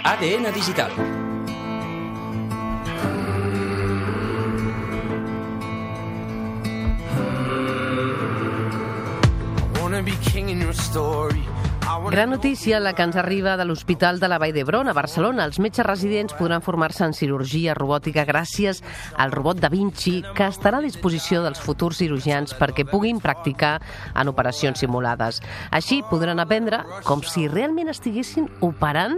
ADN Digital. Gran notícia la que ens arriba de l'Hospital de la Vall d'Hebron a Barcelona. Els metges residents podran formar-se en cirurgia robòtica gràcies al robot Da Vinci, que estarà a disposició dels futurs cirurgians perquè puguin practicar en operacions simulades. Així podran aprendre com si realment estiguessin operant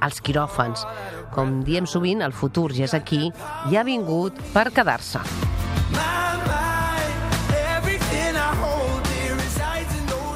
als quiròfans. Com diem sovint, el futur ja és aquí i ha vingut per quedar-se.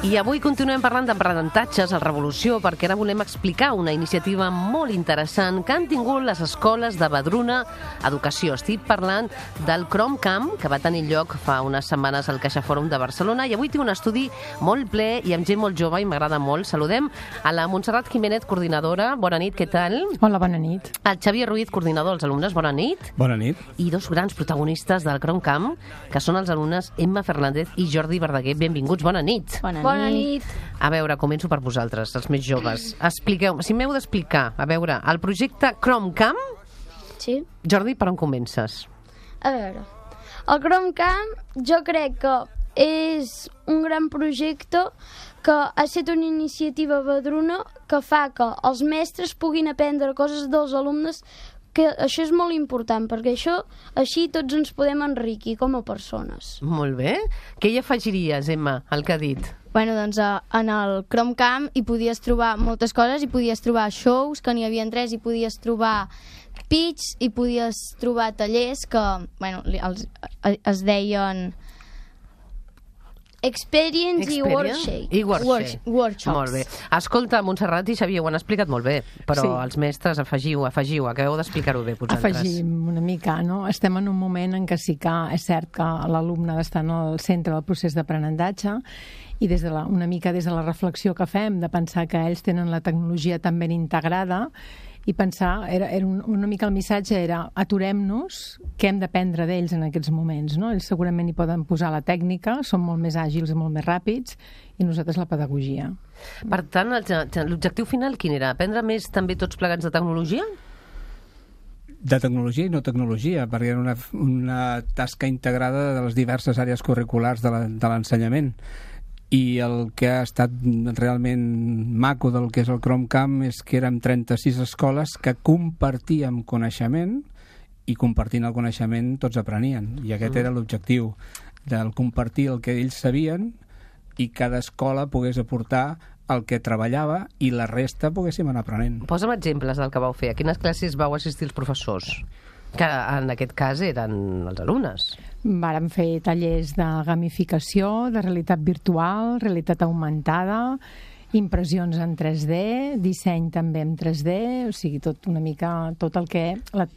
I avui continuem parlant d'aprenentatges a Revolució, perquè ara volem explicar una iniciativa molt interessant que han tingut les escoles de Vedruna Educació. Estic parlant del ChromCamp, que va tenir lloc fa unes setmanes al CaixaForum de Barcelona, i avui té un estudi molt ple i amb gent molt jove i m'agrada molt. Saludem a la Montserrat Jiménez, coordinadora. Bona nit, què tal? Hola, bona nit. El Xavier Ruiz, coordinador dels alumnes. Bona nit. Bona nit. I dos grans protagonistes del ChromCamp, que són els alumnes Emma Fernández i Jordi Verdaguer. Benvinguts, bona nit. Bona nit. A veure, començo per vosaltres, els més joves. Expliqueu, si m'heu d'explicar, a veure, el projecte ChromCamp. Sí. Jordi, per on comences? A veure, el ChromCamp jo crec que és un gran projecte que ha estat una iniciativa vedruna que fa que els mestres puguin aprendre coses dels alumnes, que això és molt important, perquè així tots ens podem enriquir com a persones. Molt bé. Què hi afegiries, Emma, al que ha dit? Bueno, doncs en el ChromCamp hi podies trobar moltes coses, hi podies trobar shows, que n'hi havia 3, hi podies trobar pitch, hi podies trobar tallers que, bueno, es deien Experience i workshops. Molt bé. Escolta, Montserrat i Xavier, ho han explicat molt bé, però sí, els mestres afegiu, acabeu d'explicar-ho bé, vosaltres. Afegim una mica, no? Estem en un moment en què sí que és cert que l'alumne ha d'estar en el centre del procés d'aprenentatge i una mica des de la reflexió que fem, de pensar que ells tenen la tecnologia tan ben integrada, i pensar, una mica el missatge era aturem-nos, què hem d'aprendre d'ells en aquests moments, no? Ells segurament hi poden posar la tècnica, són molt més àgils i molt més ràpids, i nosaltres la pedagogia. Per tant, l'objectiu final quin era? Aprendre més també tots plegats de tecnologia? De tecnologia i no tecnologia, perquè era una tasca integrada de les diverses àrees curriculars de l'ensenyament. I el que ha estat realment maco del que és el ChromCamp és que érem 36 escoles que compartíem coneixement, i compartint el coneixement tots aprenien, i aquest era l'objectiu, del compartir el que ells sabien i cada escola pogués aportar el que treballava i la resta poguéssim anar aprenent. Posa'm exemples del que vau fer. A quines classes vau assistir els professors? Que en aquest cas eren els alumnes. Vàrem fer tallers de gamificació, de realitat virtual, realitat augmentada, impressions en 3D, disseny també en 3D, o sigui, tot el que...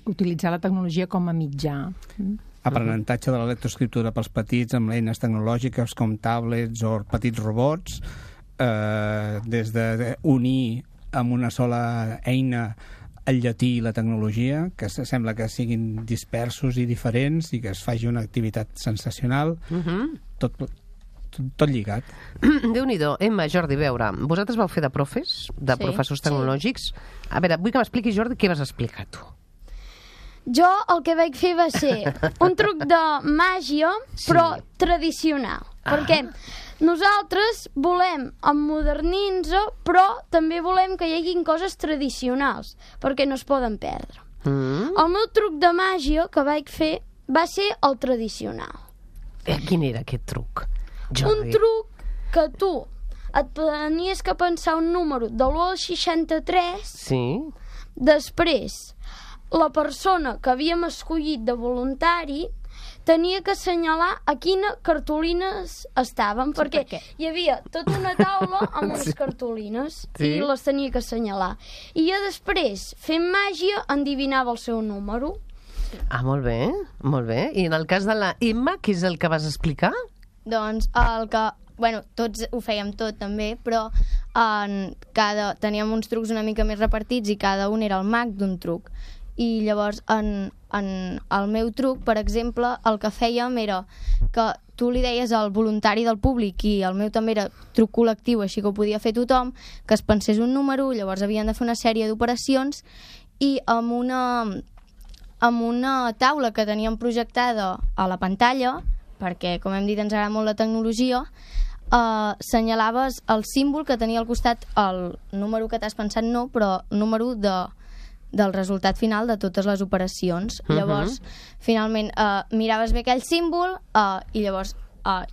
utilitzar la tecnologia com a mitjà. Aprenentatge de la lectoescriptura pels petits amb eines tecnològiques com tablets o petits robots, des d'unir amb una sola eina el llatí i la tecnologia, que sembla que siguin dispersos i diferents i que es faci una activitat sensacional, tot lligat. Déu-n'hi-do. Emma, Jordi, veure, vosaltres vau fer de professors tecnològics. A veure, vull que m'expliquis, Jordi, què vas explicar tu? Jo el que vaig fer va ser un truc de màgia, però tradicional. Perquè nosaltres volem emmodernir-nos, però també volem que hi hagin coses tradicionals, perquè no es poden perdre. El meu truc de màgia que vaig fer va ser el tradicional. Quin era aquest truc, Jordi? Un truc que tu et tenies que pensar un número de l'1 al 63, sí. Després la persona que havíem escollit de voluntari tenia que assenyalar a quines cartolines estaven, perquè hi havia tota una taula amb unes cartolines i les tenia que assenyalar. I jo després, fent màgia, endivinava el seu número. Ah, molt bé, molt bé. I en el cas de la Emma, què és el que vas explicar? Doncs bueno, tots ho fèiem tot també, però teníem uns trucs una mica més repartits i cada un era el mag d'un truc. I llavors en el meu truc, per exemple, el que fèiem era que tu li deies al voluntari del públic, i el meu també era truc col·lectiu, així que ho podia fer tothom, que es pensés un número, llavors havien de fer una sèrie d'operacions, i amb una taula que teníem projectada a la pantalla, perquè, com hem dit, ens agrada molt la tecnologia, senyalaves el símbol que tenia al costat el número que t'has pensat, no, però número del resultat final de totes les operacions. Llavors, finalment, miraves bé aquell símbol i llavors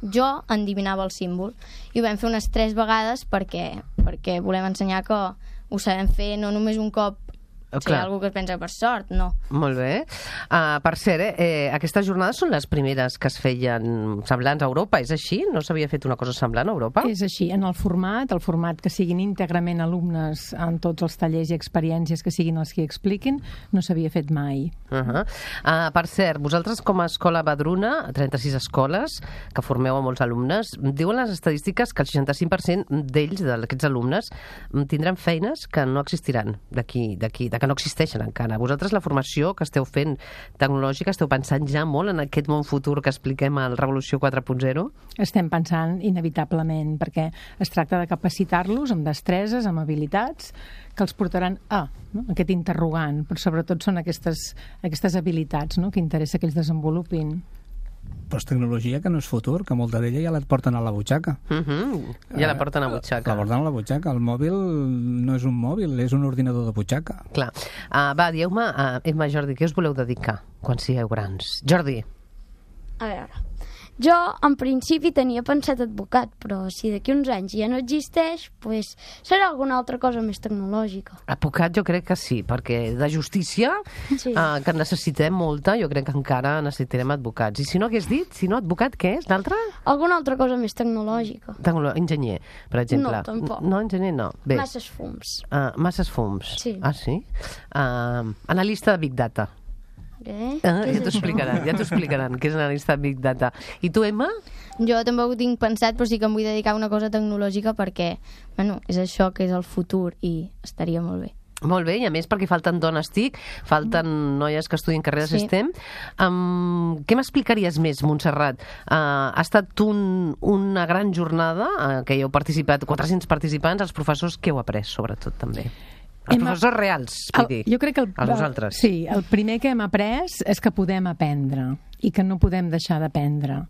jo endivinava el símbol. I ho vam fer unes 3 vegades perquè volem ensenyar que ho sabem fer no només un cop. O sigui, algú que es pensa per sort, no. Molt bé. Per cert, aquestes jornades són les primeres que es feien semblants a Europa, és així? No s'havia fet una cosa semblant a Europa? És així, en el format que siguin íntegrament alumnes en tots els tallers i experiències que siguin els que expliquin, no s'havia fet mai. Per cert, vosaltres com a Escola Vedruna, 36 escoles, que formeu a molts alumnes, diuen les estadístiques que el 65% d'ells, d'aquests alumnes, tindran feines que no existiran d'aquí, que no existeixen encara. Vosaltres la formació que esteu fent tecnològica, esteu pensant ja molt en aquest món futur que expliquem al Revolució 4.0? Estem pensant inevitablement, perquè es tracta de capacitar-los amb destreses, amb habilitats, que els portaran aquest interrogant, però sobretot són aquestes habilitats, no?, que interessa que ells desenvolupin. Però és tecnologia que no és futur, que molta d'ella ja la porten a la butxaca. Ja la porten a la butxaca. La porten a la butxaca. El mòbil no és un mòbil, és un ordinador de butxaca. Clar. Va, dieu-me, Emma, Jordi, què us voleu dedicar quan sigueu grans? Jordi. A veure, jo en principi tenia pensat advocat, però si d'aquí uns anys ja no existeix, doncs serà alguna altra cosa més tecnològica. Advocat jo crec que sí, perquè de justícia, que necessitem molta, jo crec que encara necessitarem advocats. I si no, què has dit? Si no, advocat, què és? L'altre? Alguna altra cosa més tecnològica. Enginyer, per exemple. No, tampoc. No, enginyer no. Bé. Masses fums. Masses fums. Sí. Ah, sí? Analista de Big Data. Ja t'ho explicaran, què és analista de Big Data. I tu, Emma? Jo tampoc ho tinc pensat, però sí que em vull dedicar a una cosa tecnològica perquè, és això que és el futur i estaria molt bé. Molt bé, i a més perquè falten dones TIC, falten noies que estudien carreres STEM. Què m'explicaries més, Montserrat? Ha estat una gran jornada que hi heu participat, 400 participants, els professors, què heu après, sobretot, també? Els professors reals, vull dir, jo crec que a vosaltres. Sí, el primer que hem après és que podem aprendre i que no podem deixar d'aprendre.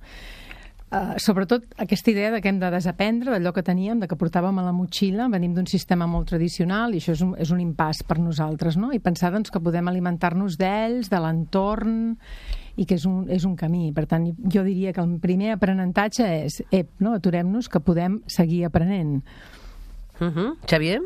Sobretot aquesta idea de que hem de desaprendre d'allò que teníem, de que portàvem a la motxilla, venim d'un sistema molt tradicional i això és un impàs per nosaltres, no? I pensar doncs, que podem alimentar-nos d'ells, de l'entorn, i que és un camí. Per tant, jo diria que el primer aprenentatge és aturem-nos, que podem seguir aprenent. Xavier?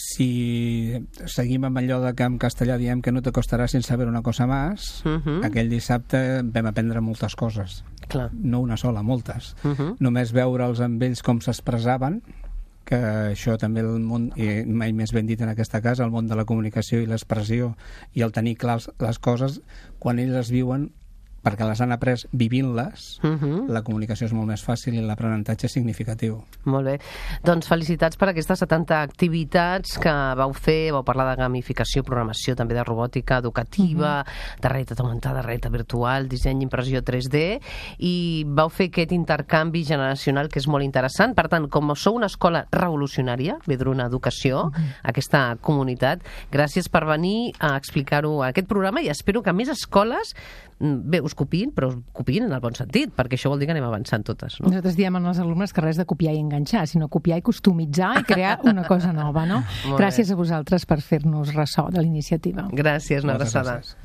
Si seguim amb allò de que en castellà diem que no te costarà sin saber una cosa más, aquell dissabte vam aprendre moltes coses. Clar. No una sola, moltes. Només veure'ls amb ells com s'expressaven, que això també el món, i mai més ben dit en aquesta casa, el món de la comunicació i l'expressió i el tenir clars les coses, quan ells les viuen, perquè les han après vivint-les, la comunicació és molt més fàcil i l'aprenentatge és significatiu. Molt bé. Doncs felicitats per aquestes 70 activitats que vau fer, vau parlar de gamificació, programació, també de robòtica educativa, de realitat augmentada, realitat virtual, disseny, impressió 3D, i vau fer aquest intercanvi generacional que és molt interessant. Per tant, com sou una escola revolucionària, Vedruna Educació, aquesta comunitat, gràcies per venir a explicar-ho a aquest programa i espero que més escoles us copiïn, però copiïn en el bon sentit, perquè això vol dir que anem avançant totes, no? Nosaltres diem als alumnes que res de copiar i enganxar, sinó copiar i customitzar i crear una cosa nova, no? Gràcies a vosaltres per fer-nos ressò de la iniciativa. Gràcies, una abraçada. Gràcies.